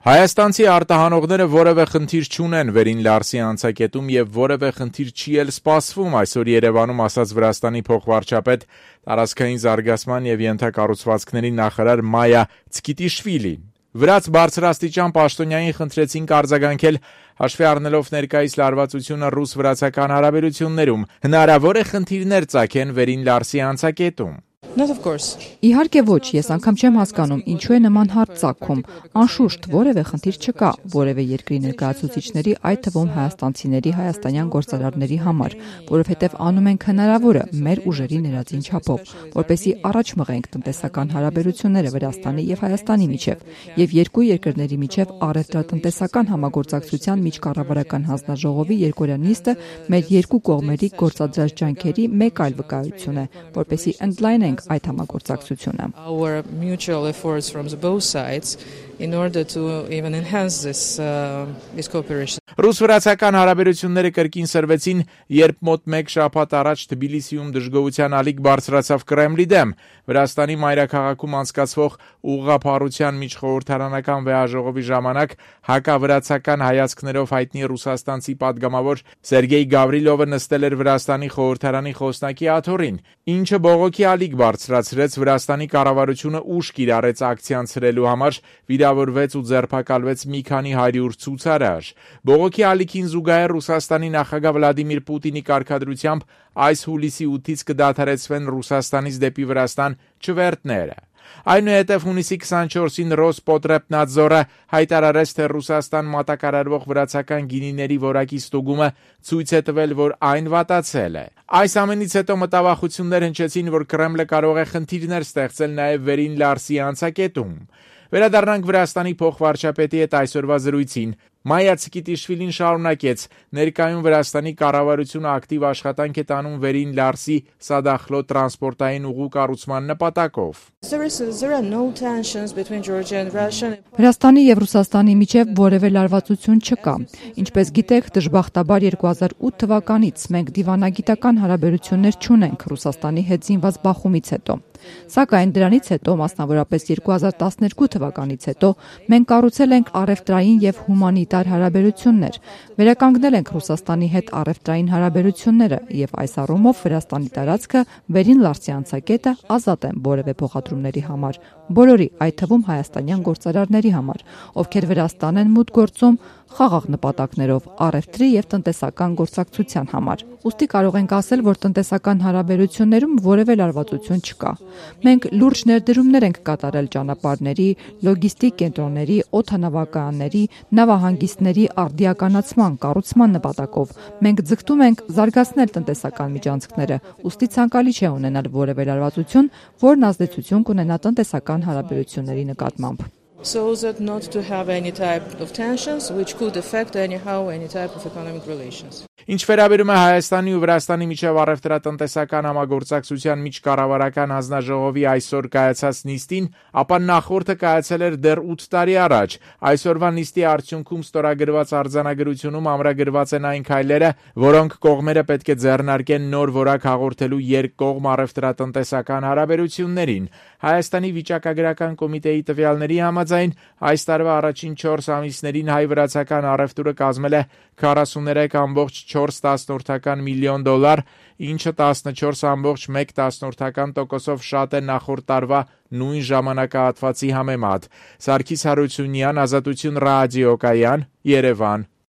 Հայաստանցի արտահանողները որևէ խնդիր չունեն վերին Լարսի անցակետում եւ որևէ խնդիր չի էլ սպասվում, այսօր Երևանում ասաց Վրաստանի փոխվարչապետ, տարածքային զարգացման եւ ենթակառուցվածքների նախարար Մայա Ցկիտիշվիլին։ Վրաց բարձրաստիճան պաշտոնյային խնդրեցին արձագանքել հաշվի առնելով ներկայիս լարվածությունը ռուս-վրացական հարաբերություններում, հնարավոր է խնդիրներ ծագեն վերին Լարսի անցակետում։ Իհարկե ոչ, ես անգամ չեմ հասկանում, ինչու է նման հարց ծագում։ Անշուշտ որևէ խնդիր չկա, որևէ երկրի ներկայացուցիչների, այդ թվում հայաստանցիների, հայաստանյան գործարարների համար, որովհետև անում ենք հնարավորը մեր ուժերի ներածին չափով, որպեսզի առաջ մղենք տնտեսական հարաբերությունները Վրաստանի եւ Հայաստանի միջև, եւ երկու երկրների միջև առևտրատնտեսական համագործակցության միջկառավարական հանձնաժողովի երկօրյա նիստը մեր երկու կողմերի գործադրած ջանքերի մեկ այլ վկայություն է, որպեսզի ընդլայնենք այդ համագործակցությունը։ Ռուս-վրացական հարաբերությունները կրկին սրվեցին, երբ մոտ մեկ շաբաթ առաջ Թբիլիսիում դժգոհության ալիք բարձրացավ Կրեմլի դեմ։ Վրաստանի մայրաքաղաքում անցկացվող ուղղափառության միջխորհրդարանական վեհաժողովի ժամանակ հակավրացական հայացքներով հայտնի ռուսաստանցի падգամավոր Սերգեյ Գավրիլովը նստել էր Վրաստանի խորհրդարանի խոսնակի աթոռին, ինչը բողոքի ալիք բարձրացրեց, Վրաստանի կառավարությունը ուշ կիրառեց ակցիան համար, վիրավորվեց ու ձերբակալվեց մի քանի 100 ցուցարար։ Բողոքի ալիքին զուգահեռ Ռուսաստանի նախագահ Վլադիմիր Պուտինի կարգադրությամբ այս հուլիսի 8-ից կդադարեցվեն Ռուսաստանից դեպի Վրաստան չվերթները։ Այնուհետև հունիսի 24-ին Ռոսպոտրեբնadzորը հայտարարեց, թե Ռուսաստան մատակարարվող վրացական գինիների որակի ստուգումը ցույց է տվել, որ այն վատացել է։ Այս ամենից հետո մտավախություններ հնչեցին, որ Կրեմլը կարող է խնդիրներ ստեղծել նաև վերին Լարսի անցակետում։ Վերադառնանք Վրաստանի փոխվարչապետի հետ այսօրվա զրույցին։ Մայա Ցկիտիշվիլին շարունակեց. ներկայում Վրաստանի կառավարությունը ակտիվ աշխատանք է տանում վերին Լարսի Սադախլո տրանսպորտային ուղու կառուցման նպատակով։ Վրաստանի եւ Ռուսաստանի միջև որևէ լարվածություն չկա։ Ինչպես գիտեք, դժբախտաբար 2008 թվականից մենք դիվանագիտական հարաբերություններ չունենք Ռուսաստանի հետ զինված բախումից հետո։ Սակայն դրանից հետո, մասնավորապես 2012 թվականից հետո, մենք կառուցել ենք առևտրային եւ հումանիտար հարաբերություններ, վերականգնել ենք Ռուսաստանի հետ առևտրային հարաբերությունները եւ այս առումով Վրաստանի տարածքը վերին Լարսի անցակետը ազատ է որևէ փոխադրումների համար, բոլորի, այդ թվում հայաստանյան գործարարների համար, ովքեր Վրաստան են մուտք գործում խաղաղ նպատակներով առևտրի եւ տնտեսական գործակցության համար։ Ուստի կարող ենք ասել, որ տնտեսական հարաբերություններում որևէ լարվածություն չկա։ Մենք լուրջ ներդրումներ ենք կատարել ճանապարհների, լոգիստիկ կենտրոնների, օդանավակայանների, նավահանգիստների արդիականացման, կառուցման նպատակով։ Մենք ձգտում ենք զարգացնել տնտեսական միջանցքները, ուստի ցանկալի չէ ունենալ որևէ լարվածություն, որն ազդեցություն կունենա տնտեսական հարաբերությունների նկատմամբ։ So that not to have any type of tensions which could affect anyhow any type of economic relations. Ինչ վերաբերում է Հայաստանի ու Վրաստանի միջև առևտրատնտեսական համագործակցության միջկառավարական հանձնաժողովի այսօր կայացած նիստին, ապա նախորդը կայացել էր դեռ 8 տարի առաջ։ Այսօրվա նիստի արդյունքում ստորագրված արձանագրությունում ամրագրված են այն քայլերը, որոնք կողմերը պետք է ձեռնարկեն նոր որակ հաղորդելու երկկողմ առևտրատնտեսական հարաբերություններին։ Հայաստանի վիճակագրական կոմիտեի տվյալների համաձայն այս տարվա առաջին 4 ամիսներին հայ-վրացական առևտուրը կազմել է 43.4 միլիոն դոլար, ինչը 14.1% շատ է նախորդ տարվա նույն ժամանակահատվածի համեմատ։ Սարգիս Հարությունյան, Ազատություն ռադիոկայան, Երևան։